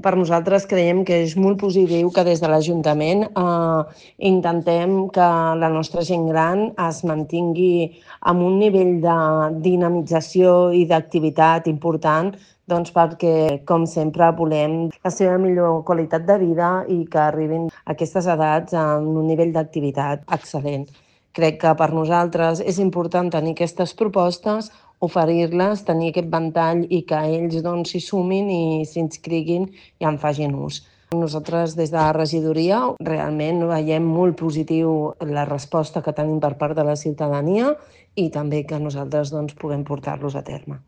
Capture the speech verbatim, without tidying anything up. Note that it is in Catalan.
Per nosaltres creiem que és molt positiu que des de l'Ajuntament eh, intentem que la nostra gent gran es mantingui amb un nivell de dinamització i d'activitat important, doncs perquè, com sempre, volem la seva millor qualitat de vida i que arribin a aquestes edats amb un nivell d'activitat excel·lent. Crec que per nosaltres és important tenir aquestes propostes, oferir-les, tenir aquest ventall i que ells doncs, s'hi sumin i s'inscriguin i en facin ús. Nosaltres des de la regidoria realment veiem molt positiu la resposta que tenim per part de la ciutadania i també que nosaltres doncs, puguem portar-los a terme.